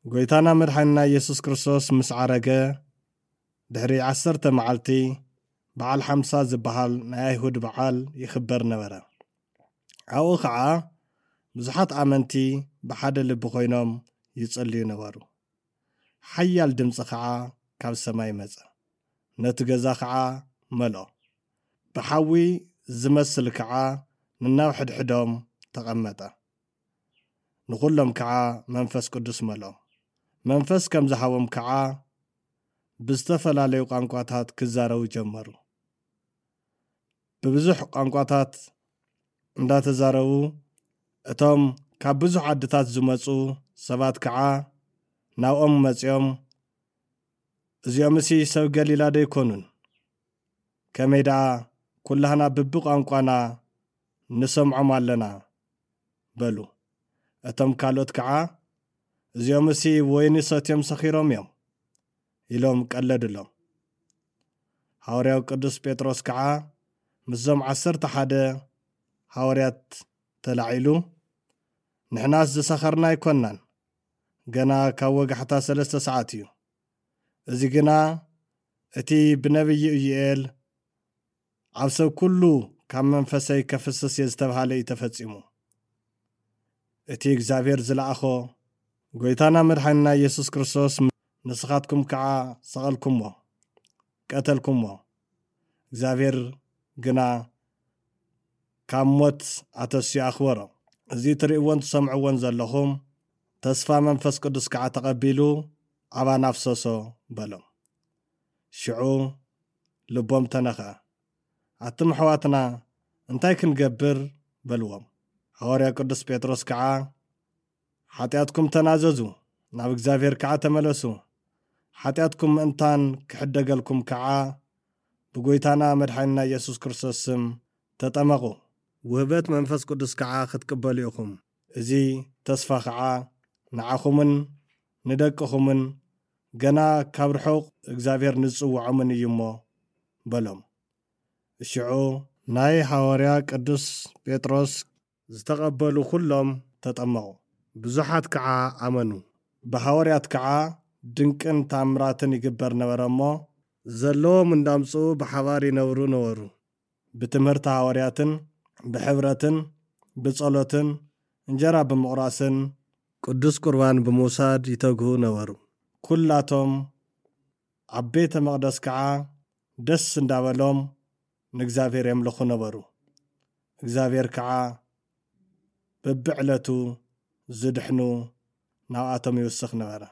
ጎይታና መድሓንና ኢየሱስ ክርስቶስ ምስ ዓረገ ድሕሪ ዓሰርተ መዓልቲ በዓል ሓምሳ ዝበሃል ናይ ኣይሁድ በዓል ይኽበር ነበረ። ኣብኡ ኸዓ ብዙሓት ኣመንቲ ብሓደ ልቢ ኮይኖም ይጽልዩ ነበሩ። ሓያል ድምፂ ኸዓ ካብ ሰማይ መጸ፣ ነቲ ገዛ ኸዓ መልኦ። ብሓዊ ዝመስል ከዓ ንናብ ሕድሕዶም ተቐመጠ። ንኹሎም ከዓ መንፈስ ቅዱስ መልኦም። መንፈስ ከም ዝሃቦም ከዓ ብዝተፈላለዩ ቋንቋታት ክዛረቡ ጀመሩ። ብብዙሕ ቋንቋታት እንዳተዛረቡ፣ እቶም ካብ ብዙሕ ዓድታት ዝመፁ ሰባት ከዓ ናብኦም መፂኦም፣ "እዚኦምሲ ሰብ ገሊላ ዶ ኣይኮኑን? ከመይ ደኣ ኩላህና ብብቋንቋና ንሰምዖም ኣለና?" በሉ። እቶም ካልኦት ከዓ፣ "እዚኦምሲ ወይኒ ሰትዮም ሰኺሮም እዮም" ኢሎም ቀለዱሎም። ሃዋርያው ቅዱስ ጴጥሮስ ከዓ ምስዞም ዓሰርተ ሓደ ሃዋርያት ተላዒሉ፣ "ንሕናስ ዝሰኸርና ኣይኮንናን፣ ገና ካብ ወጋሕታ ሰለስተ ሰዓት እዩ። እዚ ግና እቲ ብነቢይ ኢዩኤል ኣብ ሰብ ኩሉ ካብ መንፈሰይ ከፍስስ እየ ዝተባህለ እዩ ተፈጺሙ። እቲ እግዚኣብሔር ዝለኣኾ ጎይታና መድሓንና ኢየሱስ ክርስቶስ ንስኻትኩም ከዓ ሰቐልኩሞ፣ ቀተልኩሞ። እግዚኣብሔር ግና ካብ ሞት ኣተስዩ ኣኽበሮ። እዚ ትርእይዎን ትሰምዕዎን ዘለኹም ተስፋ መንፈስ ቅዱስ ከዓ ተቐቢሉ ኣባና ኣፍሰሶ" በሎም። ሽዑ ልቦም ተነኽአ። "ኣቱም ኣሕዋትና እንታይ ክንገብር?" በልዎም። ሃዋርያ ቅዱስ ጴጥሮስ ከዓ፣ "ሓጢኣትኩም ተናዘዙ፣ ናብ እግዚኣብሔር ከዓ ተመለሱ። ሓጢኣትኩም ምእንታን ክሕደገልኩም ከዓ ብጎይታና መድሓኒና ኢየሱስ ክርስቶስ ስም ተጠመቑ። ውህበት መንፈስ ቅዱስ ከዓ ክትቅበሉ ኢኹም። እዚ ተስፋ ከዓ ንዓኹምን ንደቅኹምን ገና ካብ ርሑቕ እግዚኣብሔር ንዝጽውዖምን እዩ እሞ" በሎም። ሽዑ ናይ ሃዋርያ ቅዱስ ጴጥሮስ ዝተቐበሉ ኩሎም ተጠመቑ። ብዙሓት ከዓ ኣመኑ። ብሃዋርያት ከዓ ድንቅን ታምራትን ይግበር ነበረ እሞ፣ ዘለዎም እንዳምጽኡ ብሓባር ይነብሩ ነበሩ። ብትምህርቲ ሃዋርያትን ብሕብረትን ብጸሎትን እንጀራ ብምቑራስን ቅዱስ ቁርባን ብምውሳድ ይተግሁ ነበሩ። ኩላቶም ኣብ ቤተ መቕደስ ከዓ ደስ እንዳበሎም ንእግዚኣብሔር የምልኹ ነበሩ። እግዚኣብሔር ከዓ በብዕለቱ ዝድሕኑ ናብኣቶም ይውስኽ ነበረ።